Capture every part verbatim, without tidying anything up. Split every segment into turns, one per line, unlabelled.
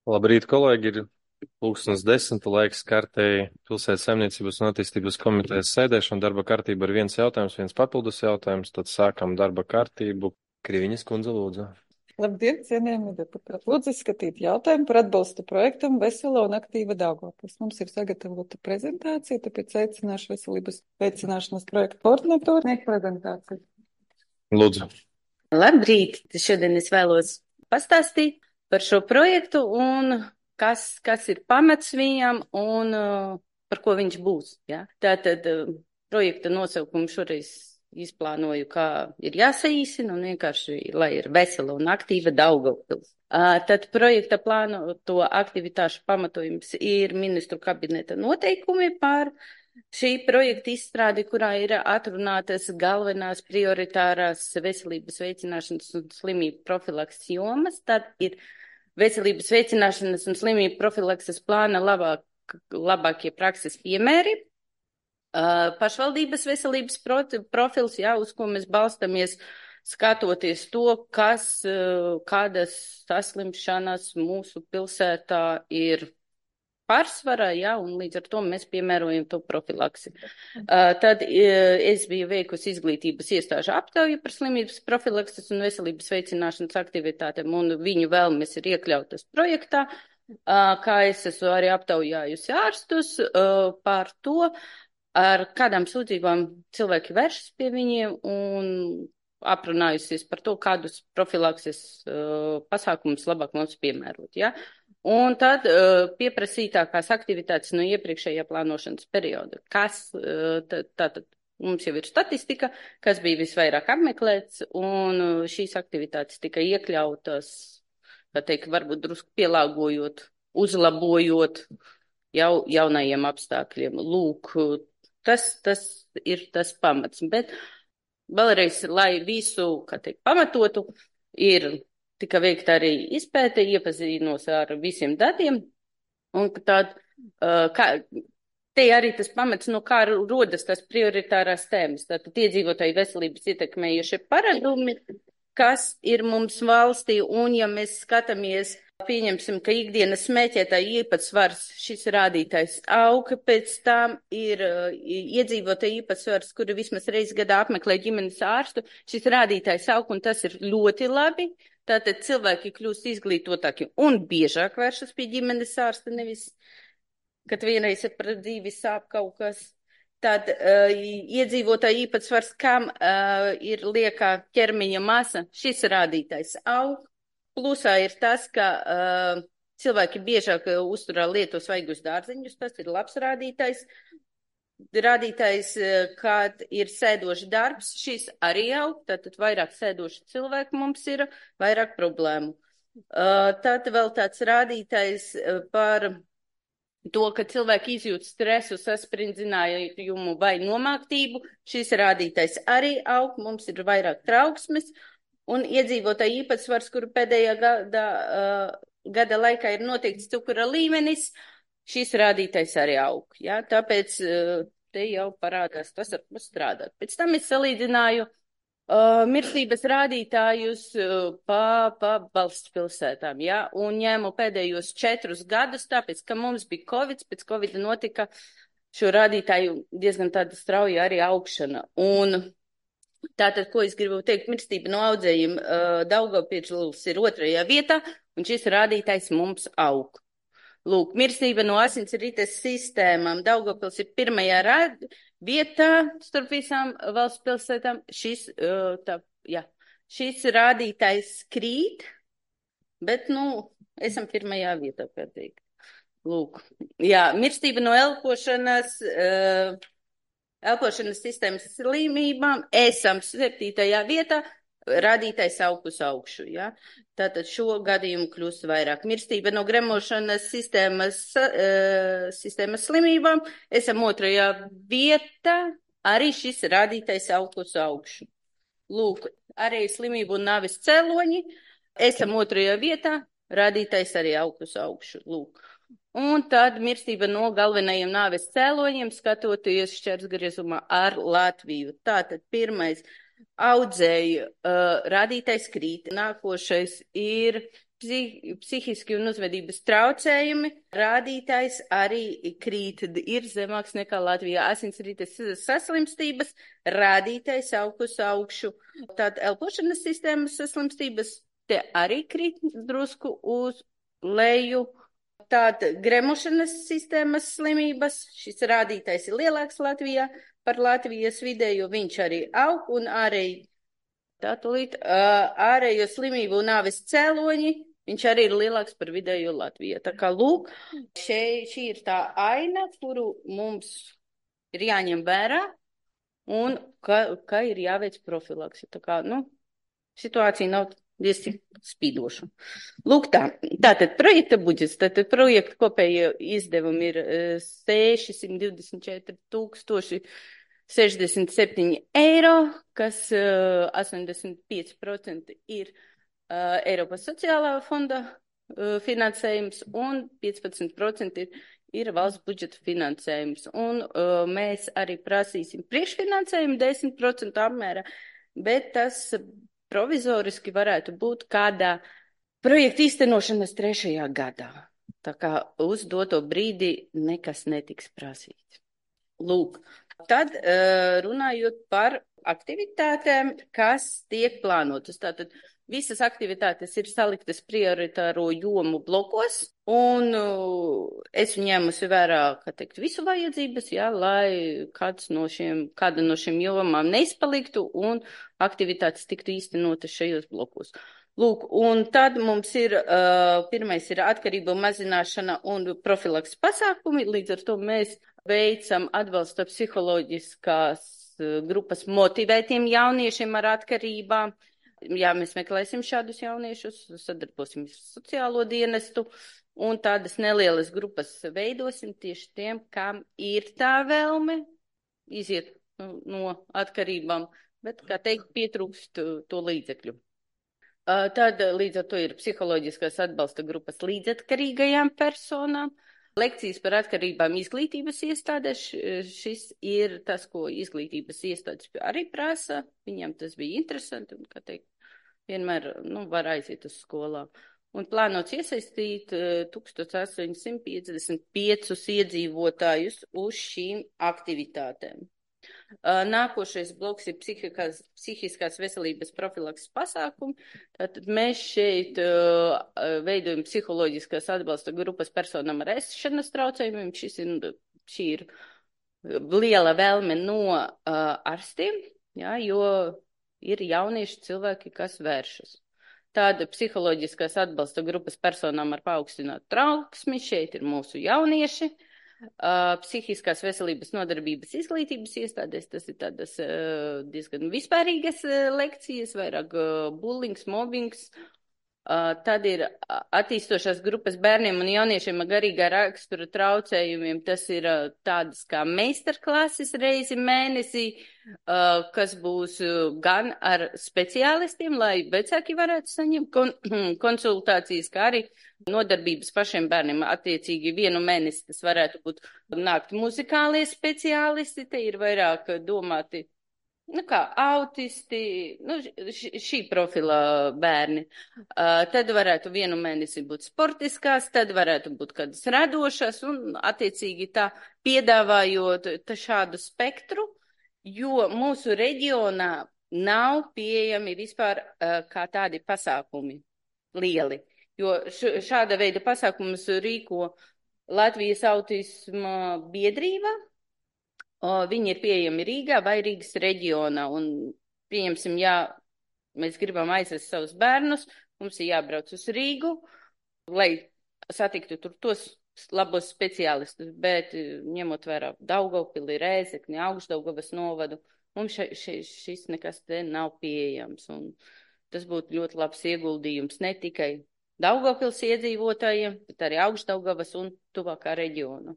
Labrīt, kolēģi! Ir pulkstens desmita laiks kārtēji pilsētas saimniecības un attīstības komitejas sēdēšana. Darba kārtība ir viens jautājums, viens papildus jautājums. Tad sākam darba kārtību. Kriviņas kundze, lūdzu.
Labdien, cienījami deputāti! Lūdzu izskatīt jautājumu par atbalstu projektam Vesela un aktīva Daugavpils. Mums ir sagatavota prezentācija, tāpēc aicināšu veselības veicināšanas projektu koordinatoru sniegt prezentāciju.
Lūdzu.
Labrīt! Šodien es vēlos pastāstīt par šo projektu un kas, kas ir pamats viņam un uh, par ko viņš būs. Ja? Tātad uh, projekta nosaukumu šoreiz izplānoju, kā ir jāsaīsina un vienkārši, lai ir vesela un aktīva Daugavpils. Uh, tad projekta plānoto aktivitāšu pamatojums ir ministru kabineta noteikumi par šī projekta izstrādi, kurā ir atrunātas galvenās prioritārās veselības veicināšanas un slimību profilakses jomas. Tad ir veselības veicināšanas un slimību profilakses plāna labāk, labākie prakses piemēri, uh, pašvaldības veselības profils, jā, uz ko mēs balstamies, skatoties to, kas, uh, kādas saslimšanas mūsu pilsētā ir pārsvarā, jā, un līdz ar to mēs piemērojam to profilaksi. Uh, tad uh, es biju veikusi izglītības iestāžu aptauju par slimības profilakses un veselības veicināšanas aktivitātēm, un viņu vēlmes ir iekļautas projektā, uh, kā es esmu arī aptaujājusi ārstus uh, par to, ar kādām sūdzībām cilvēki vēršas pie viņiem, un aprunājusies par to, kādus profilakses uh, pasākumus labāk mums piemērot, jā. Un tad uh, pieprasītākās aktivitātes no iepriekšējā plānošanas perioda. Kas, uh, tātad mums jau ir statistika, kas bija visvairāk apmeklēts, un uh, šīs aktivitātes tika iekļautas, tā teikt, varbūt drusku pielāgojot, uzlabojot jau, jaunajiem apstākļiem. Lūk, tas, tas ir tas pamats. Bet vēlreiz, lai visu, kā teikt, pamatotu, ir tika veikta arī izpēte, iepazīnos ar visiem datiem, un tād, uh, kā, te arī tas pamats, no kā rodas tās prioritārās tēmas, tātad iedzīvotāju veselības ietekmējušie paradumi, kas ir mums valstī, un ja mēs skatāmies, pieņemsim, ka ikdienas smēķētāju īpatsvars, šis rādītājs aug, pēc tam ir uh, iedzīvotāju īpatsvars, kuri vismaz reiz gadā apmeklē ģimenes ārstu, šis rādītājs aug, un tas ir ļoti labi. Tātad cilvēki kļūst izglītotāki un biežāk vēršas pie ģimenes ārsta, nevis, kad vienreiz ir par dzīvi sāp kaut kas. Tad uh, iedzīvotāju īpatsvars, kam uh, ir liekā ķermeņa masa, šis rādītājs aug. Plusā ir tas, ka uh, cilvēki biežāk uzturā lieto svaigus dārzeņus, tas ir labs rādītājs. Rādītājs, kad ir sēdoši darbs, šis arī aug, tātad vairāk sēdoši cilvēki mums ir, vairāk problēmu. Tad vēl tāds rādītājs par to, ka cilvēki izjūt stresu, sasprindzinājumu vai nomāktību, šis rādītājs arī aug, mums ir vairāk trauksmes, un iedzīvotāju īpatsvars, kuru pēdējā gada, gada laikā ir noteikts cukura līmenis, šis rādītājs arī aug, ja? Tāpēc te jau parādās tas, ar ko strādāt. Pēc tam es salīdzināju uh, mirstības rādītājus uh, pa, pa valsts pilsētām, ja? Un ņēmu pēdējos četrus gadus, tāpēc, ka mums bija Covid, pēc Covid notika šo rādītāju diezgan tāda strauja arī augšana. Un tātad, ko es gribu teikt, mirstība no audzējiem uh, Daugavpils ir otrajā vietā, un šis rādītājs mums aug. Lūk, mirstība no asinsrites sistēmām. Daugavpils ir pirmajā rād, vietā starp visām valsts pilsētām. Šis, uh, tā, jā, šis rādītājs krīt, bet, nu, esam pirmajā vietā, kā teikt. Lūk, jā, mirstība no elpošanas, uh, elpošanas sistēmas slimībām. Esam septītajā vietā. Rādītājs aug uz augšu, ja? Tātad šo gadījumu kļūst vairāk. Mirstība no gremošanas sistēmas, uh, sistēmas slimībām, esam otrajā vietā, arī šis rādītājs aug uz augšu. Lūk, arī slimību un nāves cēloņi, esam otrajā vietā, rādītājs arī aug uz augšu. Lūk. Un tad mirstība no galvenajiem nāves cēloņiem, skatoties šķērsgriezumā ar Latviju. Tātad pirmais. Audzēju uh, rādītais krīt. Nākošais ir psihiski un uzvedības traucējumi. Rādītājs arī krīt, ir zemāks nekā Latvijā. Asinsrites saslimstības rādītājs aug uz augšu. Tātad elpošanas sistēmas saslimstības te arī krīt drusku uz leju. Tātad gremošanas sistēmas slimības, šis rādītājs ir lielāks Latvijā par Latvijas vidējo, viņš arī aug un arī tātulīt ārējo slimību un nāves cēloņi. Viņš arī ir lielāks par vidējo Latviju. Tā kā, lūk, šeit, šī ir tā aina, kuru mums ir jāņem vērā un ka, ka ir jāveic profilaksi. Tā kā, nu, situācija nav diezgan spīdoša. Lūk tā, tātad projekta budžets, tātad projekta kopējie izdevumi ir sešisimti divdesmit četri tūkstoši sešdesmit septiņi eiro, kas uh, astoņdesmit pieci procenti ir uh, Eiropas sociālā fonda uh, finansējums un piecpadsmit procenti ir, ir valsts budžeta finansējums. Un uh, mēs arī prasīsim priekšfinansējumu desmit procentu apmērā, bet tas provizoriski varētu būt kādā projekta īstenošanas trešajā gadā. Tā kā uz doto brīdi nekas netiks prasīts. Lūk. Tad runājot par aktivitātēm, kas tiek plānotas. Tātad visas aktivitātes ir saliktas prioritāro jomu blokos, un es ņēmusi vērā, kā teikt, visu vajadzības, jā, lai kāds no šiem, kāda no šiem jomām neizpaliktu un aktivitātes tiktu īstenotas šajos blokos. Lūk, un tad mums ir, uh, pirmais ir atkarību mazināšana un profilaks pasākumi, līdz ar to mēs veicam atbalsta psiholoģiskās uh, grupas motivētiem jauniešiem ar atkarībām. Jā, mēs meklēsim šādus jauniešus, sadarbosimies ar sociālo dienestu un tādas nelielas grupas veidosim tieši tiem, kam ir tā vēlme iziet no, no atkarībām, bet, kā teikt, pietrūkst to līdzekļu. Tad līdz ar to ir psiholoģiskās atbalsta grupas līdzatkarīgajām personām. Lekcijas par atkarībām izglītības iestādēs. Šis ir tas, ko izglītības iestādes arī prasa. Viņam tas bija interesanti un, kā teikt, vienmēr nu, var aiziet uz skolām. Un plānots iesaistīt tūkstoš astoņsimt piecdesmit piecus iedzīvotājus uz šīm aktivitātēm. Nākošais bloks ir psihiskās, psihiskās veselības profilakses pasākumi. Tātad mēs šeit uh, veidojam psiholoģiskās atbalsta grupas personām ar ēšanas traucējumiem. Šis ir, šī ir liela vēlme no uh, ārstiem, jā, jo ir jaunieši cilvēki, kas vēršas. Tāda psiholoģiskās atbalsta grupas personām ar paaugstinātu trauksmi. Šeit ir mūsu jaunieši. Uh, psihiskās veselības nodarbības izglītības iestādēs, tas ir tādas uh, diezgan vispārīgas uh, lekcijas, vairāk uh, bullings, mobbings. Uh, tad ir attīstošās grupas bērniem un jauniešiem ar garīgā rakstura traucējumiem. Tas ir uh, tādas kā meistarklases reizi mēnesī, uh, kas būs uh, gan ar speciālistiem, lai vecāki varētu saņemt kon konsultācijas, kā arī nodarbības pašiem bērniem. Attiecīgi vienu mēnesi tas varētu būt nākt muzikālie speciālisti, te ir vairāk domāti, nu kā autisti, nu šī profila bērni. Uh, tad varētu vienu mēnesi būt sportiskās, tad varētu būt kādas radošas un attiecīgi tā piedāvājot tā šādu spektru, jo mūsu reģionā nav pieejami vispār uh, kā tādi pasākumi lieli. Jo šāda veida pasākumus rīko Latvijas autisma biedrība. Viņi ir pieejami Rīgā vai Rīgas reģionā. Un, pieņemsim, ja mēs gribam aizvest savus bērnus, mums ir jābrauc uz Rīgu, lai satiktu tur tos labos speciālistus. Bet ņemot vērā Daugavpili, Rēzekni, Augšdaugavas novadu, mums še, še, šis nekas te nav pieejams. Un tas būtu ļoti labs ieguldījums ne tikai Daugavpils iedzīvotājiem, bet arī Augšdaugavas un tuvākā reģiona.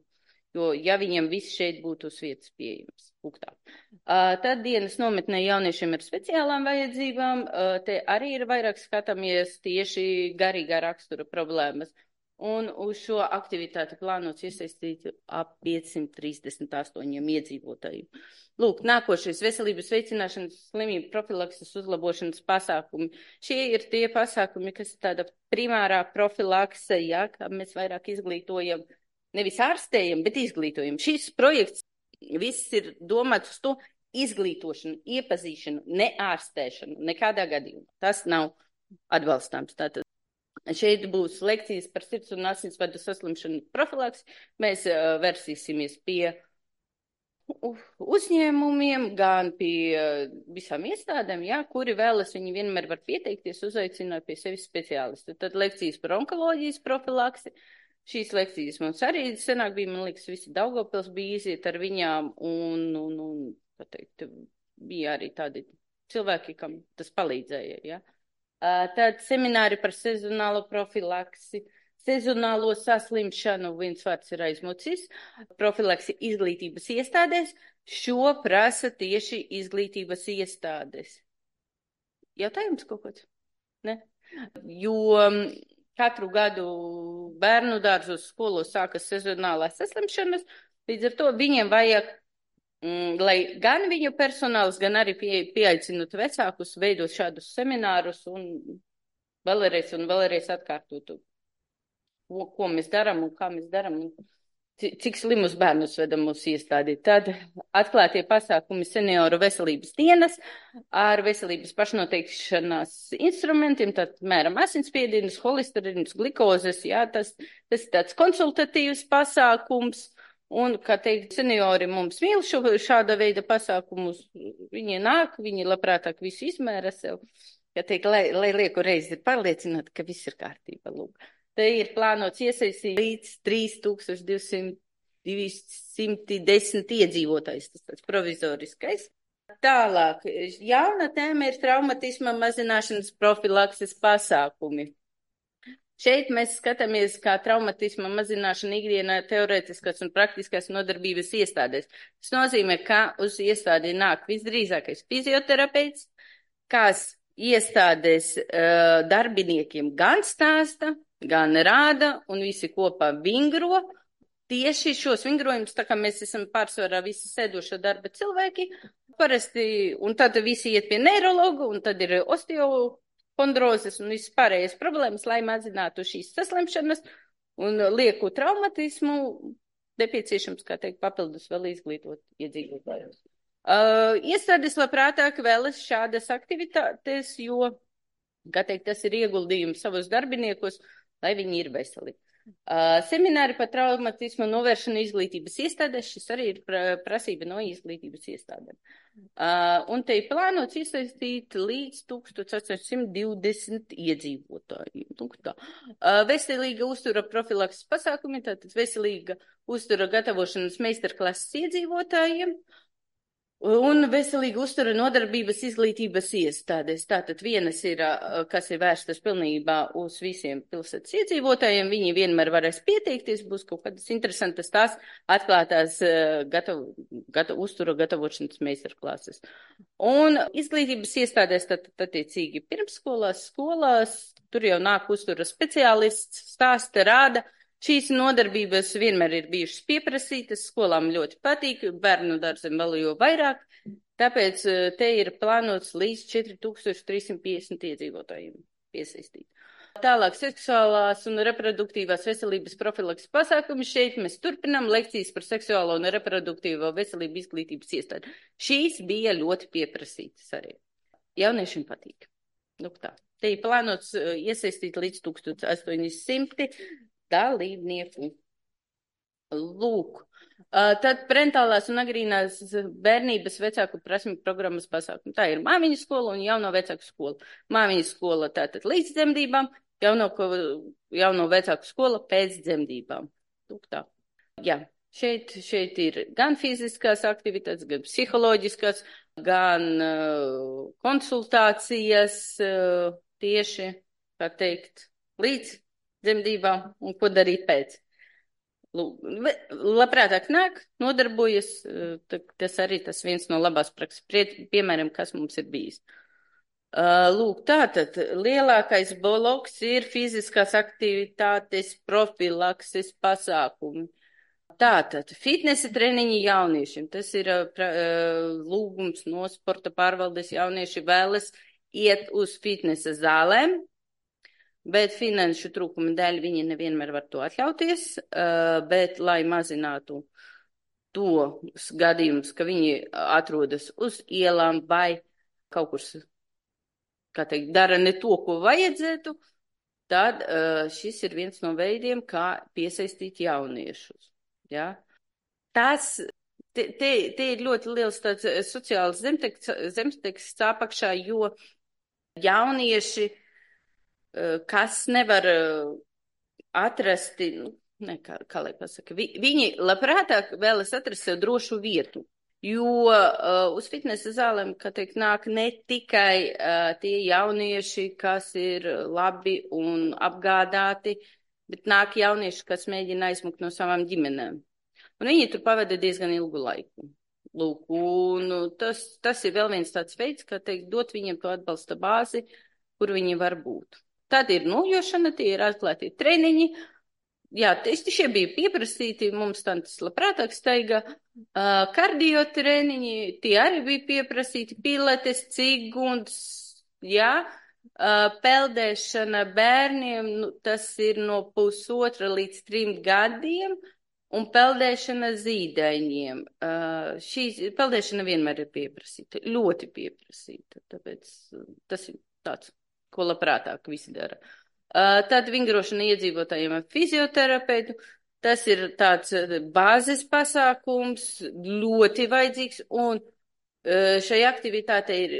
Jo, ja viņiem viss šeit būtu uz vietas pieejams. Uh, tad dienas nometnē jauniešiem ar speciālām vajadzībām, uh, te arī ir vairāk skatāmies tieši garīgā rakstura problēmas. Un uz šo aktivitāti plānots iesaistīt ap piecsimt trīsdesmit astoņiem iedzīvotājiem. Lūk, nākošais veselības veicināšanas slimību profilakses uzlabošanas pasākumi. Šie ir tie pasākumi, kas ir tāda primārā profilakse, ja, kā mēs vairāk izglītojam, nevis ārstējam, bet izglītojam. Šis projekts viss ir domāts uz to izglītošanu, iepazīšanu, ne ārstēšanu, nekādā gadījumā. Tas nav atbalstāms. Tātad šeit būs lekcijas par sirds un asinsvadu saslimšanu profilaks. Mēs uh, versīsimies pie uzņēmumiem, gan pie uh, visām iestādēm, jā, kuri vēlas, viņi vienmēr var pieteikties, uzaicināt pie sevis speciālistu. Tad lekcijas par onkoloģijas profilaksi. Šīs lekcijas mums arī senāk bija, man liekas, visi Daugavpils bija iziet ar viņām, un, un, un tā teikt, bija arī tādi cilvēki, kam tas palīdzēja, jā. Tad semināri par sezonālo profilaksi, sezonālo saslimšanu, viens vārds ir aizmucis, profilaksi izglītības iestādēs, šo prasa tieši izglītības iestādes. Jautājums kaut kāds? Ne? Jo katru gadu bērnu dārzos skolos sākas sezonālās saslimšanas, līdz ar to viņiem vajag, Mm, lai gan viņu personāls, gan arī pie, pieaicinot vecākus, veidot šādus seminārus un vēlreiz un vēlreiz atkārtotu, ko, ko mēs darām un kā mēs darām un cik slimus bērnus vedam mūsu iestādi. Tad atklātie pasākumi senioru veselības dienas ar veselības pašnoteikšanās instrumentiem, tad mēram asinsspiedienus, holesterīnus, glikozes, jā, tas, tas ir tāds konsultatīvs pasākums. Un, kā teikt, seniori mums mīl šo, šāda veida pasākumus, viņi nāk, viņi labprātāk visu izmēra sev, kā teikt, lai, lai lieku reizi ir pārliecināti, ka viss ir kārtība, lūk. Te ir plānots iesaistīt līdz trīs tūkstoši divsimt desmit iedzīvotājs, tas tāds provizoriskais. Tālāk, jauna tēma ir traumatisma mazināšanas profilakses pasākumi. Šeit mēs skatāmies, kā traumatisma mazināšana ikdienā teorētiskās un praktiskās nodarbības iestādēs. Tas nozīmē, ka uz iestādi nāk visdrīzākais fizioterapeits, kas iestādes uh, darbiniekiem gan stāsta, gan rāda un visi kopā vingro. Tieši šos vingrojumus, tā kā mēs esam pārsvarā visi sēdošo darba cilvēki, parasti, un tad visi iet pie neirologu, un tad ir osteo kondrozes un visas pārējās problēmas, lai mazinātu šīs saslimšanas un lieku traumatismu, nepieciešams, kā teikt, papildus vēl izglītot iedzīvotājus. Uh, iestādes labprātāk vēlas šādas aktivitātes, jo, kā teikt, tas ir ieguldījums savus darbiniekos, lai viņi ir veseli. Uh, semināri par traumatismu novēršanu izglītības iestādēs, šis arī ir pra, prasība no izglītības iestādēm. Uh, un te ir plānots iesaistīt līdz tūkstoš astoņsimt divdesmit iedzīvotājiem. Uh, veselīga uztura profilakses pasākumi, tātad veselīga uztura gatavošanas meistarklases iedzīvotājiem. Un veselīga uztura nodarbības izglītības iestādēs. Tātad vienas ir, kas ir vērstas pilnībā uz visiem pilsētas iedzīvotājiem, viņi vienmēr varēs pieteikties, būs kaut kādas interesantas tās atklātās gatav, gatav, uztura gatavošanas meistarklases. Un izglītības iestādēs, tad attiecīgi pirmsskolās, skolās, tur jau nāk uztura speciālists, stāsta, rāda. Šīs nodarbības vienmēr ir bijušas pieprasītas, skolām ļoti patīk, bērnu dārziem vēl jo vairāk, tāpēc te ir plānots līdz četri tūkstoši trīs simt piecdesmit iedzīvotājiem piesaistīt. Tālāk seksuālās un reproduktīvās veselības profilakses pasākumi. Šeit mēs turpinām lekcijas par seksuālo un reproduktīvo veselību izglītības iestādi. Šīs bija ļoti pieprasītas arī. Jauniešiem patīk. Nu, tā. Te ir plānots iesaistīt līdz tūkstoš astoņi simti dalībnieku. Lūk. Uh, tad parentālās un agrīnās bērnības vecāku prasmju programmas pasākumi. Tā ir māmiņu skola un jauno vecāku skola. Māmiņu skola tātad līdz dzemdībām, jauno, jauno vecāku skola pēc dzemdībām. Lūk tā. Jā, šeit, šeit ir gan fiziskās aktivitātes, gan psiholoģiskās, gan uh, konsultācijas uh, tieši, kā teikt, līdz dzemdībām un ko darīt pēc. Labprātāk nāk, nodarbojas, tas arī tas viens no labās prakses piemēram, kas mums ir bijis. Uh, lūk, tātad lielākais bloks ir fiziskās aktivitātes profilakses pasākumi. Tātad fitnesa treniņi jauniešiem. Tas ir uh, pra, uh, lūgums no sporta pārvaldes. Jaunieši vēlas iet uz fitnesa zālēm, bet finanšu trūkuma dēļ viņi nevienmēr var to atļauties, uh, bet lai mazinātu tos gadījumus, ka viņi atrodas uz ielām vai kaut kur, kā teikt, dara ne to, ko vajadzētu, tad uh, šis ir viens no veidiem, kā piesaistīt jauniešus. Ja? Tas, te, te, te ir ļoti liels tāds sociāls zemteksts apakšā, jo jaunieši, uh, kas nevar uh, atrasti, nu, ne, kā, kā lai pasaka, vi, viņi labprātāk vēlas atrast sev drošu vietu. Jo uh, uz fitnesa zālēm, kā teikt, nāk ne tikai uh, tie jaunieši, kas ir labi un apgādāti, bet nāk jaunieši, kas mēģina aizmukt no savām ģimenēm. Un viņi tur pavada diezgan ilgu laiku. Lūk, un tas, tas ir vēl viens tāds veids, kā teikt, dot viņiem to atbalsta bāzi, kur viņi var būt. Tad ir nojošana, tie ir atklāti treniņi. Jā, šie bija pieprasīti, mums tāds labprātāk steiga uh, kardio treniņi, tie arī bija pieprasīti, pilates, ciguns, jā, uh, peldēšana bērniem, nu, tas ir no pusotra līdz trim gadiem, un peldēšana zīdaiņiem. Uh, šī peldēšana vienmēr ir pieprasīta, ļoti pieprasīta, tāpēc tas ir tāds, ko labprātāk visi dara. Uh, tad vingrošana iedzīvotājiem ar fizioterapeitu, tas ir tāds bāzes pasākums, ļoti vajadzīgs, un uh, šai aktivitātei ir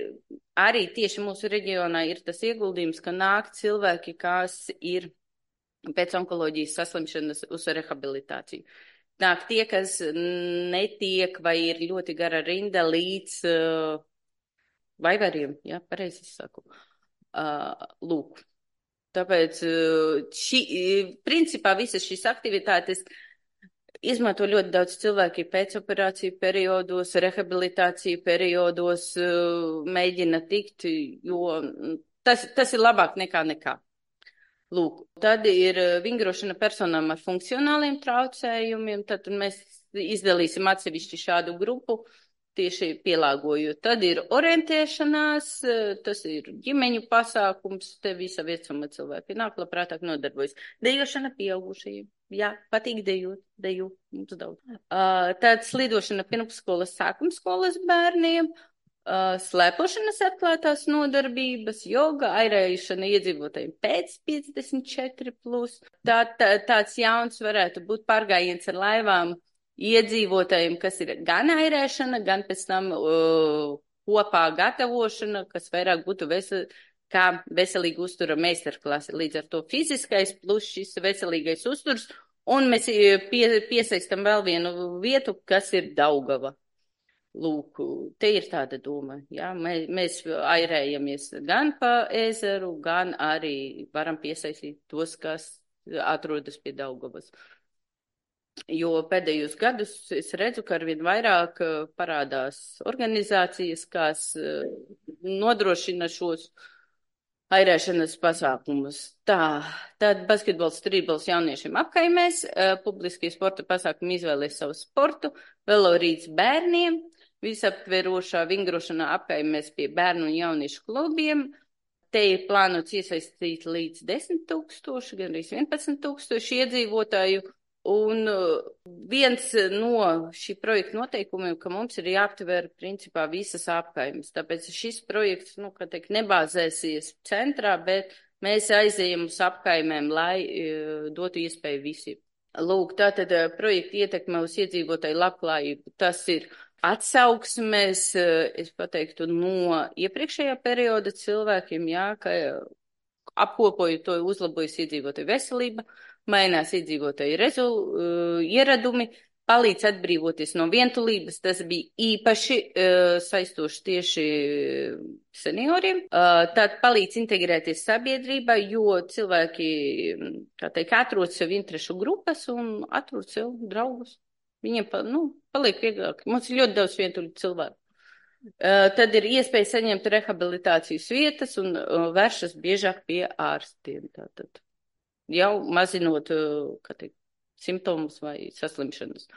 arī tieši mūsu reģionā ir tas ieguldījums, ka nāk cilvēki, kas ir pēc onkoloģijas saslimšanas uz rehabilitāciju. Nāk tie, kas netiek vai ir ļoti gara rinda līdz uh, vaivariem, jā, pareizi saku, uh, lūk. Tāpēc šī, principā visas šīs aktivitātes izmanto ļoti daudz cilvēki pēcoperāciju periodos, rehabilitāciju periodos, mēģina tikt, jo tas, tas ir labāk nekā nekā. Lūk, tad ir vingrošana personām ar funkcionāliem traucējumiem, tad mēs izdalīsim atsevišķi šādu grupu, tieši pielāgojot. Tad ir orientēšanās, tas ir ģimeņu pasākums, te visa vecuma cilvēki nāk labprātāk nodarbojas. Dejošana pieaugušajiem. Jā, patīk dejot, dejo, mums daudz. Uh, tad slidošana pirmsskolas, sākumskolas bērniem, uh, slēpošanas atklātās nodarbības, joga, airēšana iedzīvotājiem pēc piecdesmit četri plus. Tā, tā, tāds jauns varētu būt pārgājiens ar laivām iedzīvotājiem, kas ir gan airēšana, gan pēc tam uh, kopā gatavošana, kas vairāk būtu vesel, kā veselīga uztura meistarklase. Līdz ar to fiziskais plus šis veselīgais uzturs, un mēs pie, piesaistam vēl vienu vietu, kas ir Daugava. Lūk, te ir tāda doma, jā, mēs, mēs airējamies gan pa ezeru, gan arī varam piesaistīt tos, kas atrodas pie Daugavas. Jo pēdējos gadus es redzu, ka arvien vairāk parādās organizācijas, kas nodrošina šos airēšanas pasākumus. Tā, tad basketbols, strībols jauniešiem apkaimēs, publiskie sporta pasākumi izvēlēs savu sportu, velorīds bērniem, visaptverošā vingrošanā apkaimēs pie bērnu un jauniešu klubiem. Te ir plānots iesaistīt līdz desmit tūkstoši, gan arī vienpadsmit tūkstoši iedzīvotāju. Un viens no šī projekta noteikumiem, ka mums ir jāaptver principā visas apkaimes. Tāpēc šis projekts, nu, kā teikt, nebāzēsies centrā, bet mēs aizējam uz apkaimēm, lai uh, dotu iespēju visiem. Lūk, tātad uh, projekta ietekme uz iedzīvotāju labklājību, tas ir atsauksmes, uh, es pateiktu, no iepriekšējā perioda cilvēkiem, jā, ka apkopojot to uzlabojas iedzīvotāju veselība, mainās iedzīvotāju rezu, uh, ieradumi, palīdz atbrīvoties no vientulības. Tas bija īpaši uh, saistoši tieši senioriem. Uh, tad palīdz integrēties sabiedrībā, jo cilvēki, kā teikt, atrod sev interešu grupas un atrod sev draugus. Viņiem, pa, nu, paliek vieglāk. Mums ir ļoti daudz vientuļu cilvēku. Uh, tad ir iespēja saņemt rehabilitācijas vietas un uh, vēršas biežāk pie ārstiem. Tātad jau mazinot, uh, kā teikt, simptomus vai saslimšanas.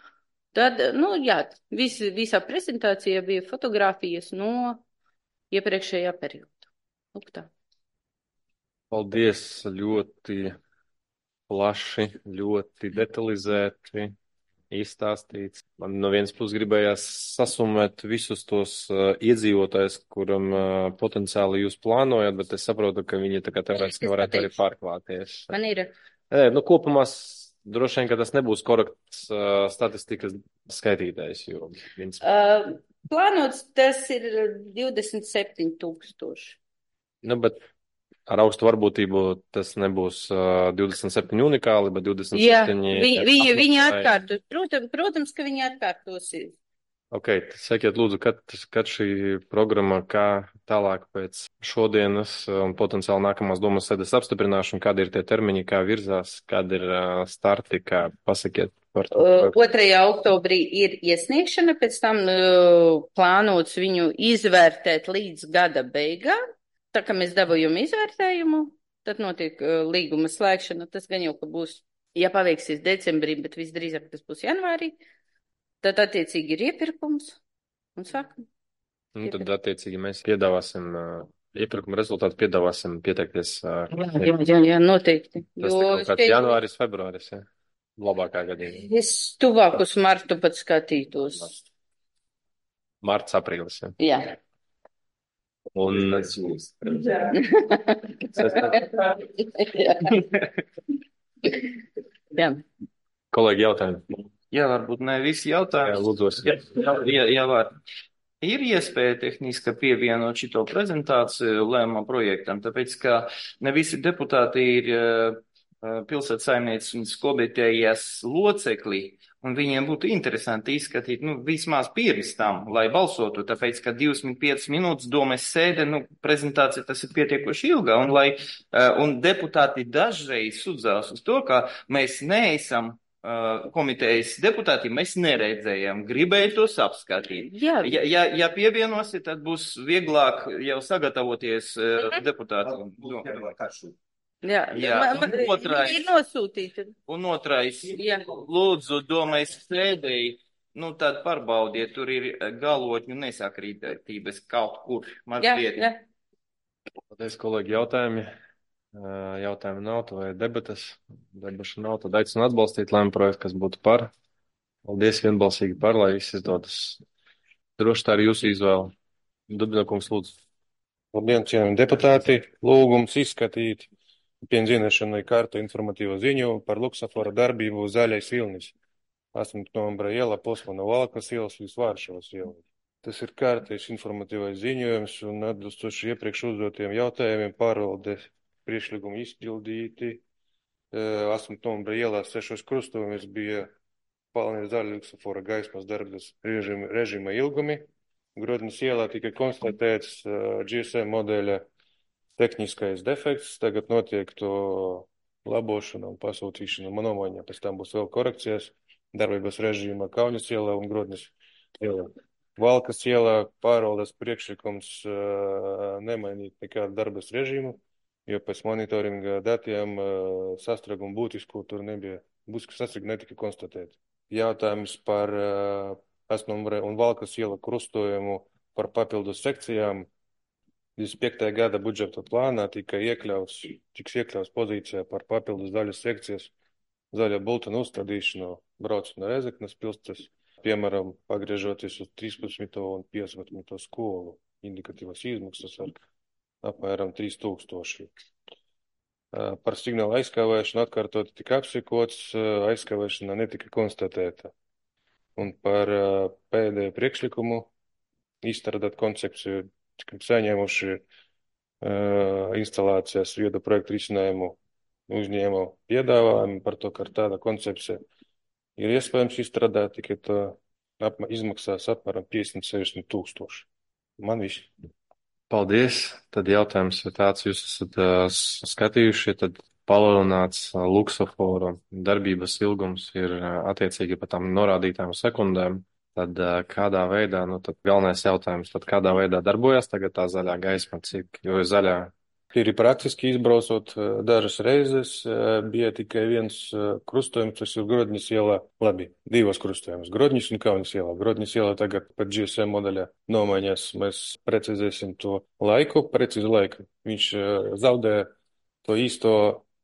Tad, nu jā, vis, visā prezentācijā bija fotogrāfijas no iepriekšējā perioda. Lūk tā.
Paldies, ļoti plaši, ļoti detalizēti izstāstīts. Man no vienas puses gribējās sasumēt visus tos uh, iedzīvotājus, kuram uh, potenciāli jūs plānojat, bet es saprotu, ka viņi tā kā teorētiski varētu arī pārklāties.
Man ir.
Nē, nu, kopumā droši vien, ka tas nebūs korekts uh, statistikas skaitītājs, jo viens.
Uh, plānots tas ir divdesmit septiņi tūkstoši.
Nu, bet ar augstu varbūtību tas nebūs uh, divdesmit septiņi unikāli, bet divdesmit septiņi.
Jā, viņi, viņi, viņi atkārtos. Protams, protams, ka viņi atkārtosies.
Ok, sakiet lūdzu, kad, kad šī programma, kā tālāk pēc šodienas un potenciāli nākamās domas sēdes apstiprināšana, kādi ir tie termiņi, kā virzās, kādi ir uh, starti, kā pasakiet par to?
Uh, otrajā oktobrī ir iesniegšana, pēc tam uh, plānots viņu izvērtēt līdz gada beigām. Tā kā mēs dabūjam izvērtējumu, tad notiek uh, līguma slēgšana. Tas gan jau, ka būs, ja paveiksies decembrī, bet visdrīzāk tas būs janvārī. Tad attiecīgi ir iepirkums un sākam.
Nu, tad attiecīgi mēs piedāvāsim, uh, iepirkuma rezultātu piedāvāsim pieteikties. Uh,
jā, jā, jā, noteikti.
Tas jo kaut kāds šeit... janvāris, februāris, jā. Labākā gadījumā.
Es tuvāk uz martu pat skatītos.
Marts, aprīlis, jā.
Jā.
Un
jā. jā.
Kolēģi jautājumi.
Jā, varbūt ne visi jautājumi.
Jā, lūdzos.
Jā, jā, jā, var. Ir iespēja tehniski pievienot šito prezentāciju lēmuma projektam, tāpēc, ka ne visi deputāti ir uh, pilsētas saimniecības komitejas locekļi, un viņiem būtu interesanti izskatīt, nu, vismaz pirms tam, lai balsotu, tāpēc, ka divdesmit piecas minūtes domas sēde, nu, prezentācija tas ir pietiekoši ilga, un, lai, uh, un deputāti dažreiz sudzās uz to, ka mēs neesam komitejas deputāti, mēs neredzējām, gribēju tos apskatīt.
Jā.
Ja, ja, ja pievienosi, tad būs vieglāk jau sagatavoties uh, deputātiem.
Jā,
Jā.
Man, man,
Un otrais,
ir nosūtīti.
Un otrais,
Jā.
lūdzu, domājas sēdēji, nu tad pārbaudiet, tur ir galotņu nesakrītības kaut kur mazliet.
Jā, jā.
Paldies, kolēģi, jautājumi. Jautājumu nav, vai debatas, debašu nav, tad aicinu atbalstīt lēmumu projektu, kas būtu par. Paldies vienbalsīgi par, lai viss izdodas. Droši tā ir jūsu izvēle. Dubļakums, lūdzu.
Labdien, cienījami deputāti. Lūgums izskatīt pienzīmēšanai kārtu informatīvo ziņu par luksafora darbību Zaļais Vilnis. astoņpadsmitā novembra iela posma no Valkas ielas līdz Vāršavas ielai. Tas ir kārtais informatīvais ziņojums un atbilstoši iepriekš uzdotiem jautājumiem pārvaldes priekšlikumi izpildīti. astoņpadsmitā novembra ielā sešos krustojumus bija palnie zaļa luksafora gaismas darbības režima, režima ilgumi. Grodņas ielā tika konstatēts uh, G S M modeļa tehniskais defekts. Tagad notiek to labošana un pasūtīšana manomaiņā. Pēc tam būs vēl korekcijas darbības režīma Kaunas ielā un Grodņas ielā. Valkas ielā pārvaldes priekšlikums uh, nemainīt nekādu darbības režīmu, jo pēc monitoringa datiem uh, sastrēgumu būtisku tur nebija, būtisku sastrēgumu netika konstatēt. Jautājums par uh, Asnombre un Valkas iela krustojumu par papildus sekcijām. divdesmit piektajā gada budžeta plānā tika iekļauts, tiks iekļauts pozīcijā par papildus daļas sekcijas zaļa bultena uzstādīšanu braucot no Rezeknes pilsētas, piemēram, pagriežoties uz trīspadsmito un piecpadsmito skolu. Indikatīvas izmaksas ar apmēram trīs tūkstoši. Par signālu aizkavēšanu atkārtot tika apsiekots, aizkavēšana netika konstatēta. Un par pēdējo priekšlikumu izstrādāt koncepciju, tikam saņēmuši uh, instalācijas viedu projektu risinājumu uzņēmumu piedāvājumu par to, ka tāda koncepcija ir iespējams izstrādāt, tikai tā apma, izmaksās apmēram piecdesmit sešdesmit tūkstoši. Man viss.
Paldies. Tad jautājums ir tāds, jūs esat uh, skatījuši, tad palielināts uh, luksofora darbības ilgums ir uh, attiecīgi par tām norādītām sekundēm. Tad ā, kādā veidā, nu tad galvenais jautājums, tad kādā veidā darbojas tagad tā zaļā gaisma, cik, jo zaļā.
Ir praktiski izbraucot eh, dažas reizes, eh, bija tikai viens eh, krustojums, tas ir Grodņas ielā, labi, divos krustojumus, Grodņas un Kaunas ielā. Grodņas ielā tagad pat G S M modeļā nomaiņās, mēs precizēsim to laiku, precizu laiku. Viņš eh, zaudē to īsto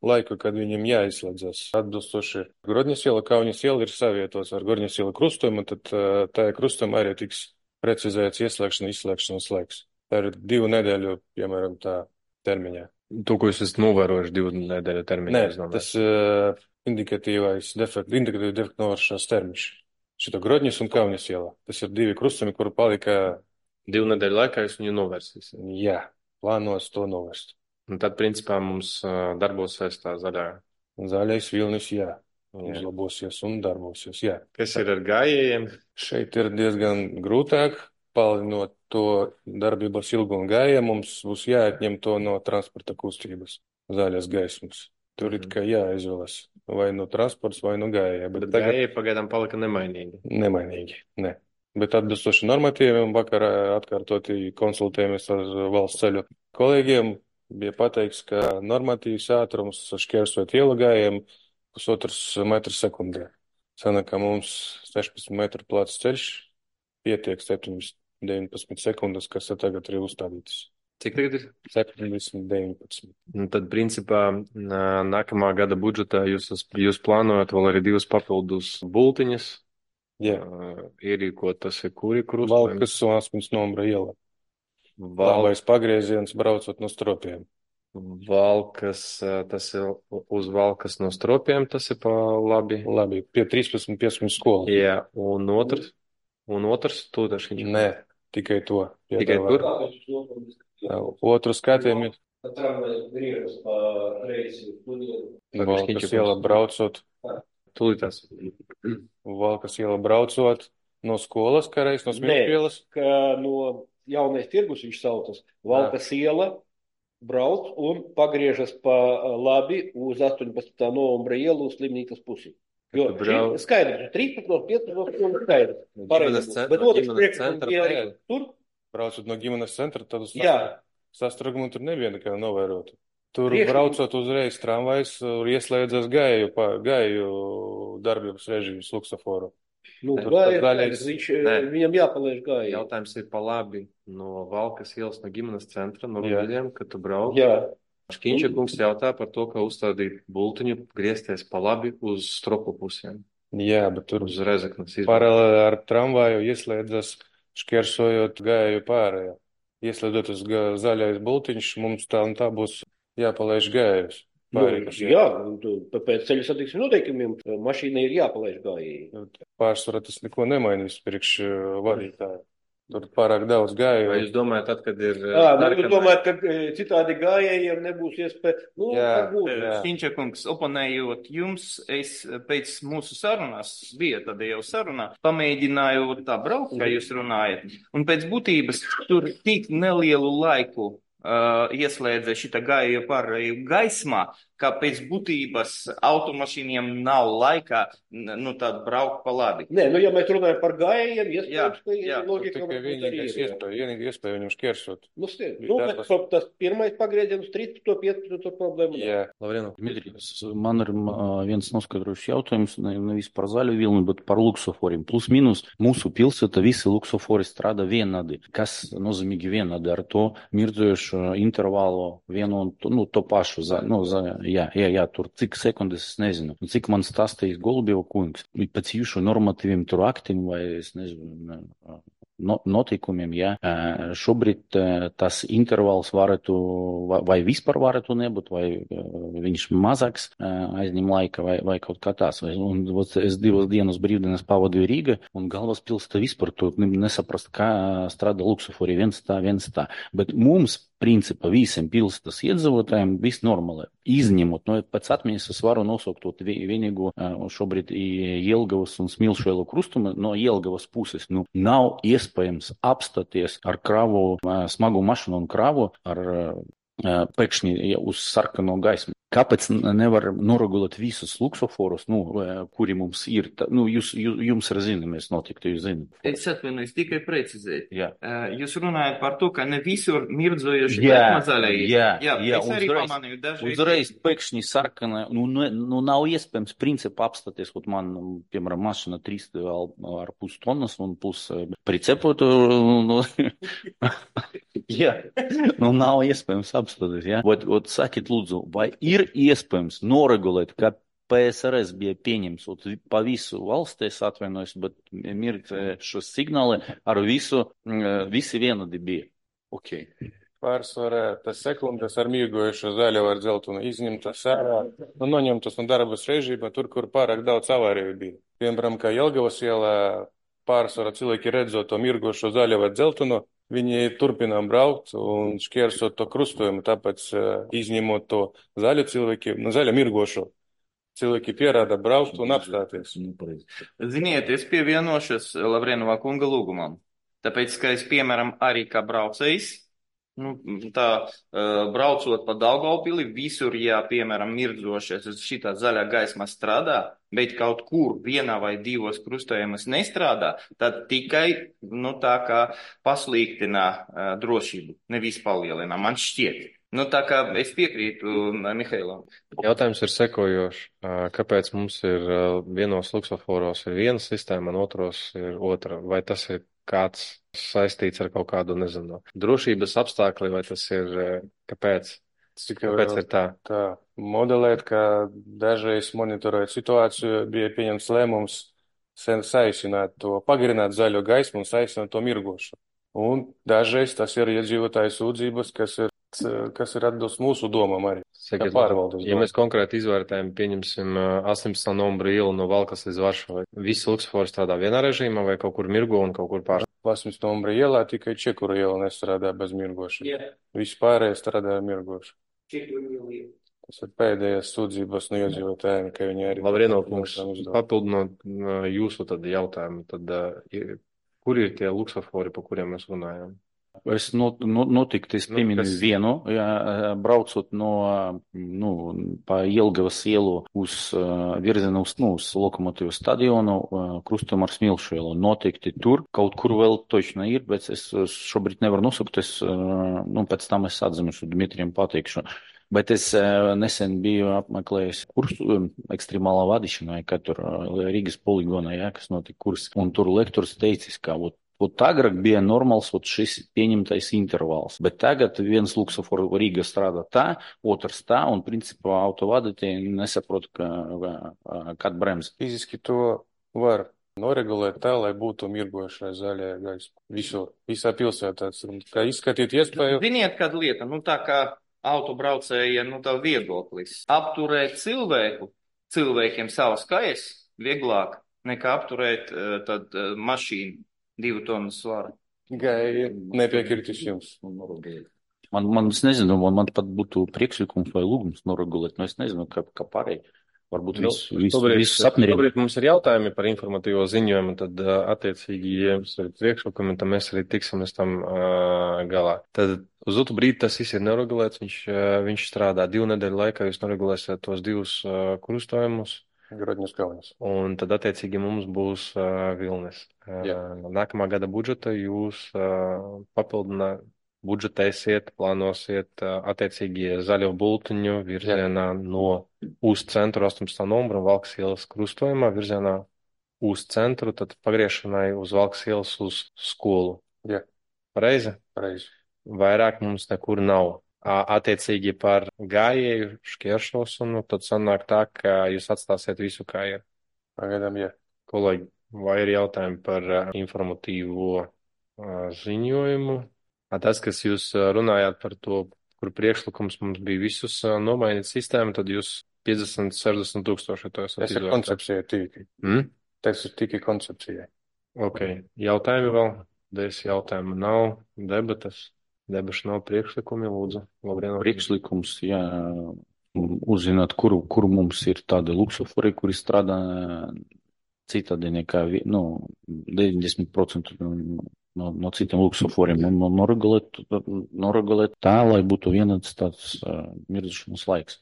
laiku, kad viņam jāizslēdzas. Atbilstoši Grodņas iela, Kaunas iela ir savietos ar Grodņas iela krustojumu, tad eh, tajā krustojumā arī tiks precizēts ieslēgšana, izslēgšanas laiks. Tā ir divu nedēļu, piemēram, tā termiņā.
To, ko jūs esat novērojuši divu nedēļu termiņā.
Nē, tas uh, indikatīvais defekts, indikatīvi defektu novēršanas termiņš. Šito Grodņas un Kaunas ielā. Tas ir divi krustumi, kuru palika.
Divu nedēļu laikā jūs viņu novērsīsiet.
Jā, plānos to novērst.
Un tad, principā, mums uh, darbosies tā zaļā.
Zaļais vilnis, jā. Uzlabosies un darbosies, jā.
Kas ir ar gājējiem?
Šeit ir diezgan grūtāk. Palielinot to darbības ilgumu gājiem, mums būs jāatņem to no transporta kustības zaļas gaismas. Tur ir kā jāizvēlas vai no transports, vai no gājēja.
Bet tagad gājēji pagaidām palika nemainīgi.
Nemainīgi, ne. Bet atbilstoši normatīviem vakar atkārtoti konsultējamies ar valsts ceļu kolēģiem, bija pateikts, ka normatīvs ātrums šķērsot ielu gājiem pusotrs metrs sekundē. Sanāk, ka mums sešpadsmit metru plāts ceļš pietiek septiņdesmit deviņpadsmit sekundes, kas tagad ir uzstādītas.
Cik tagad ir?
septiņdesmit deviņpadsmit.
Un tad, principā, nākamā gada budžetā jūs, jūs plānojat vēl arī divas papildus bultiņas.
Jā.
Ierīkot, tas ir kuri krustojumi?
Valkas un Asmins Nombra iela.
Val...
Labais pagrieziens braucot no stropiem.
Valkas, tas ir uz Valkas no stropiem, tas ir pa labi.
Labi, pie trīspadsmit piecpadsmit skolas.
Jā, un otrs? Un otrs tūdašiņš?
Nē, tikai to.
Tikai tur?
Otru skatījumu ir. Valkas iela braucot.
Tūlītās.
Valkas iela braucot no skolas, kā reiz no Smilpielas.
Nē, ka no Jaunais tirgus viņš saucas. Valkas iela brauc un pagriežas pa labi uz astoņpadsmitā novembra ielu uz slimnīcas pusi. Jo brauc... skaidrs, trīspadsmit, piecpadsmit un skaidrs. Pareizi. Bet otrs priekšlikums ir arī tur.
Braucot no ģimenes centra, tad uz
Jā.
sastragumu tur nebija nekā novērot. Tur Priekšlikums. Braucot uzreiz tramvajs, ieslēdzas gāju, gāju darbības režīmas luksaforu.
Nu, gājas, viņš, viņam jāpalaiž gāju.
Jautājums ir pa labi no Valkas ielas, no ģimenes centra, no Rūļiem, kad tu brauc.
Jā.
Škiņša kungs jautā par to, ka uzstādīt bultiņu griezties pa labi uz stropu pusēm.
Jā, bet tur
uz Rezeknas izbūr.
Paralēli ar tramvaju ieslēdzas šķērsojot gāju pārējā. Ieslēdzot uz zaļais bultiņš, mums tā un tā būs jāpalaiž gājus.
Nu, jā, pēc ceļu satiksmes noteikumiem mašīnai ir jāpalaiž gājēji.
Pārsvarā tas neko nemainīs priekš vadītāju. Tur pārāk daudz gāju.
Vai jūs domājat, tad, kad ir...
Jā, nu, jūs domājat, ka citādi gājējiem nebūs iespēja... Nu,
Šķiņčakungs, oponējot jums, es pēc mūsu sarunās, bija tad jau sarunā, pamēģināju tā braukt, kā jūs runājat, un pēc būtības tur tik nelielu laiku uh, ieslēdza šita gāju pārēju gaismā, ka pēc būtības automašīniem nav laikā, nu, tādu braukt pa labi.
Nē, nu, ja mēs runājam par gājējiem, iespējams, ka
ir logika. Tikai vienīgais iespēja, vienīgi iespēja viņam šķērsot.
Nu, stiet, nu, bet tas pirmais pagrieziens trīspadsmit piecpadsmit problēmu.
Jā.
Lavrino.
Dmitrijs, man ir viens noskaidrojuši jautājums, nevis par zaļu vilni, bet par luksoforiem. Plus minus, mūsu pilsēta visi luksofori strādā vienādi. Kas nozīmīgi vienādi ar to mirdzojušu intervālu vienu un to, nu, to pašu, za, nu, za, Jā, jā, jā, tur cik sekundes, es nezinu. Cik man stāstījis Golubjeva kungs, pēc jūsu normatīviem tur aktiem vai, es nezinu, no, notikumiem, jā. Šobrīd tas intervāls varētu, vai vispār varētu nebūt, vai viņš mazāks aizņem laika, vai, vai kaut kā tās. Un es divas dienas brīvdienas pavadīju Rīgā, un galvaspilsēta vispār tur nesaprast, kā strādā luksofori, viens tā, viens tā. Bet mums, principā, visiem pilsētas iedzīvotājiem viss normāli. Izņemot, no pēc atmiņas es varu nosaukt to vienīgu šobrīd Jelgavas un Smilšu krustumu no Jelgavas puses. Nu, nav iespējams apstāties ar kravu, smagu mašinu un kravu ar pēkšņi uz sarkano gaismu. Kāpēc nevar noregulēt visus luksoforus, nu, kuri mums ir? Tā, nu, jūs, jūs, jums ir zināmies notikti, jūs zināt.
Es atvainojos, tikai precizēt.
Jā.
Jūs runājat par to, ka ne visur mirdzojoši
Jā,
zaļai ir.
jā,
jā,
jā,
es arī
uzreiz,
pamanīju dažreiz.
uzreiz pēkšņi sarkana, nu, nu, nu nav iespējams principu apstāties, kaut man, piemēram, mašina trīs ar pus tonnas un plus pricepotu, nu, jā, nu nav iespējams apstāties, jā. Ot, ot, sakiet, lūdzu, vai ir iespējams noregulēt, ka P S R S bija pieņems pa visu valstī, es atvainojos, bet mirt šo signāli ar visu, visi vienādi bija. Ok.
Pārsvarā tas sekundes ar mirgojušo zaļo ar dzeltunu izņemtas ārā, nu noņemtas no darbas režīma, tur, kur pārāk daudz avāriju bija. Piemēram, kā Jelgavas ielā pārsvarā cilvēki redzot to mirgojušo zaļo ar dzeltunu, viņi turpinām braukt un šķērsot to krustojumu, tāpēc izņemot to zaļu cilvēki, nu zaļo mirgošo. Cilvēki pierāda braukt un apstāties.
Ziniet, es pievienošos Lavrenovā kunga lūgumam. Tāpēc, ka es, piemēram, arī kā braucējs, nu, tā braucot pa Daugavpili, visur, ja, piemēram, mirdzošies, šitā zaļā gaisma strādā, bet kaut kur vienā vai divos krustojumus nestrādā, tad tikai, nu, tā kā pasliktinā drošību, nevis palielina, man šķiet. Nu, tā kā es piekrītu Mihailam.
Jautājums ir sekojošs. Kāpēc mums ir vienos luksoforos ir viena sistēma, un otros ir otra? Vai tas ir kāds saistīts ar kaut kādu, nezinu, drošības apstākli, vai tas ir, kāpēc? Kāpēc ir tā?
Tā modelēt, ka dažreiz monitorēt situāciju, bija pieņemts lēmums saīsināt to, pagarināt zaļo gaismu un saīsināt to mirgošu. Un dažreiz tas ir iedzīvotāju sūdzības, kas ir kas ir atbilst mūsu domām arī.
Sakiet, ja mēs konkrēti izvērtējam, pieņemsim astoņpadsmitā novembra ielu no Valkas līdz Varšavai, visi luksofori strādā vienā režīmā vai kaut kur mirgo un kaut kur pār?
astoņpadsmitā novembra ielā tikai Čekura iela nestrādā bez mirgošana. Yeah. Visi pārējie strādā mirgoši. Tas ir pēdējās sūdzības no iedzīvotājiem, ka viņi arī...
Lavrienov kungs, papildinot jūsu tad jautājumu, tad kur ir tie luksofori, pa kuriem mēs runājam?
Es not, not, notikti, es pieminu nu, vienu, jā, braucot no, nu, pa Jelgavas ielu uz virzienu uz, nu, uz Lokomotīvu stadionu, krustojumā ar Smilšu ielu. Notikti tur, kaut kur vēl točno ir, bet es šobrīd nevaru nosaukt, es, nu, pēc tam es atzinušu, Dmitrijam pateikšu. Bet es nesen biju apmeklējis kursu ekstremālā vadīšanā, kā tur Rīgas poligonā, jā, kas notika kurs, un tur lektors teicis, ka, ot, Ot agrāk bija normāls ot šis pieņemtais intervāls, bet tagad viens luksofors Rīga strādā tā, otrs tā, un principā autovadītāji nesaprot, ka, kad bremz.
Fiziski to var noregulēt tā, lai būtu mirgošai zaļajā gaisma. Visur, visā pilsētā. Kā izskatīt iespēju?
Ziniet, kāda lieta, nu tā kā autobraucēja, nu tā viedoklis. Apturēt cilvēku, cilvēkiem savas kājas vieglāk nekā apturēt tad mašīnu. Divu tonu svara.
Gai, nepiekritis jums.
Man, man, es nezinu, man, man pat būtu priekšlikums vai lūgums noregulēt, no es nezinu, kā, kā pārēj. Varbūt visu, visu, visu sapniriem.
Šobrīd mums ir jautājumi par informatīvo ziņojumu, tad attiecīgi, ja jums ir priekšlikumi, tad mēs arī tiksimies tam uh, galā. Tad uz otru brīdi tas viss ir neregulēts, viņš, uh, viņš strādā divu nedēļu laikā, jūs neregulēsiet tos divus uh, krustojumus.
Grodņas Kaunas.
Un tad, attiecīgi, mums būs uh, Vilnis. Uh, nākamā gada budžeta jūs uh, papildināt, budžetēsiet, plānosiet, uh, attiecīgi, zaļo bultiņu virzienā Jā. No uz centru astoņpadsmitā novembra Valkas ielas krustojumā virzienā uz centru, tad pagriešanai uz Valkas ielas uz skolu.
Jā.
Pareizi?
Pareizi.
Vairāk mums nekur nav. Attiecīgi par gājēju šķēršošanu, tad sanāk tā, ka jūs atstāsiet visu kā ir.
Pagaidām, jā.
Kolēģi, vai ir jautājumi par informatīvo ziņojumu? Tas, kas jūs runājāt par to, kur priekšlikums mums bija visus nomainīt sistēmu, tad jūs piecdesmit, sešdesmit tūkstoši to esat
izvērtēt. Tas ir koncepcija tīki.
Hmm?
Tas ir tīki koncepcija.
Ok. Jautājumi vēl? Des jautājumu nav. Debatas? Debašu nav priekšlikumi, lūdzu. Labrien.
Priekšlikums, jā, uzzināt, kuru, kuru mums ir tādi luksofori, kuri strādā citādi nekā, nu, deviņdesmit procenti no, no citiem luksoforiem, un noregulēt, noregulēt tā, lai būtu vienāds tāds uh, mirdzošanas laiks.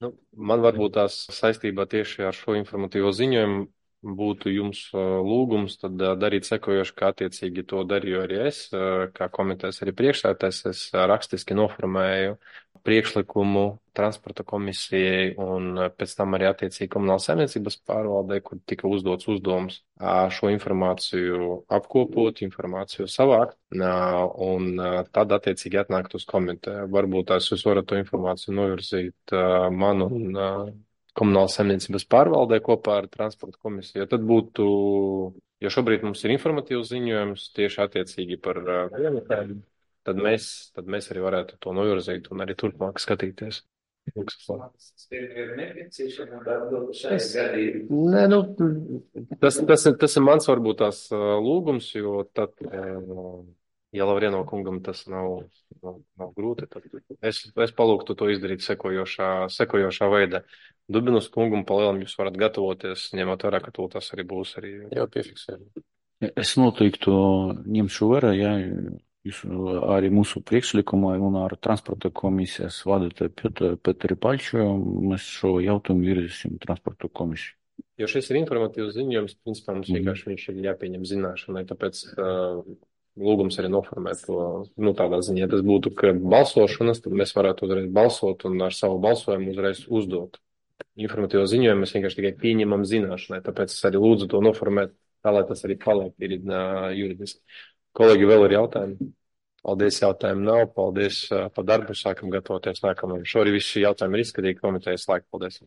Nu, man varbūt tās saistībā tieši ar šo informatīvo ziņojumu būtu jums uh, lūgums tad uh, darīt sekojoši, kā attiecīgi to darīju arī es, uh, kā komitejas arī priekšsēdētājs, es uh, rakstiski noformēju priekšlikumu transporta komisijai un uh, pēc tam arī attiecīgi komunālas saimniecības pārvaldē, kur tika uzdots uzdevums uh, šo informāciju apkopot, informāciju savākt uh, un uh, tad attiecīgi atnākt uz komiteju. Varbūt tās jūs varat to informāciju novirzīt uh, man un uh, komunālas saimniecības pārvaldē kopā ar transporta komisiju. Tad būtu, jo šobrīd mums ir informatīvs ziņojums tieši attiecīgi par vienotēm, tad mēs, tad mēs arī varētu to novirzīt un arī turpmāk skatīties. Es, nē, nu, tas, tas, tas ir mans varbūt tās lūgums, jo tad, ja Lavrieno kungam tas nav, nav, nav grūti, tad es, es palūgtu to izdarīt sekojošā, sekojošā veidā. Dubinas kungam palielam jūs varat gatavoties, ņemot vērā, ka to tas arī būs arī jau piefiksējumi.
Es noteikti ņemšu vērā, ja jūs arī mūsu priekšlikumā un ar transporta komisijas vadītāju Petri Paļču mēs šo jautājumu virzīsim transporta komisiju.
Jo šis ir informatīvs ziņojums, principā mums vienkārši viņš ir jāpieņem zināšanai, tāpēc uh, lūgums arī noformēt to, nu tādā ziņā, ja tas būtu, ka balsošanas, tad mēs varētu uzreiz balsot un ar savu balsojumu uzreiz uzdot. Informatīvo ziņojumu mēs vienkārši tikai pieņemam zināšanai, tāpēc es arī lūdzu to noformēt, tā lai tas arī paliek ir uh, juridiski. Kolēģi, vēl ir jautājumi? Paldies, jautājumu nav. Paldies uh, par darbu, sākam gatavoties nākamajam. Šorī visi šī jautājumi ir izskatīti komitejas laika. Paldies.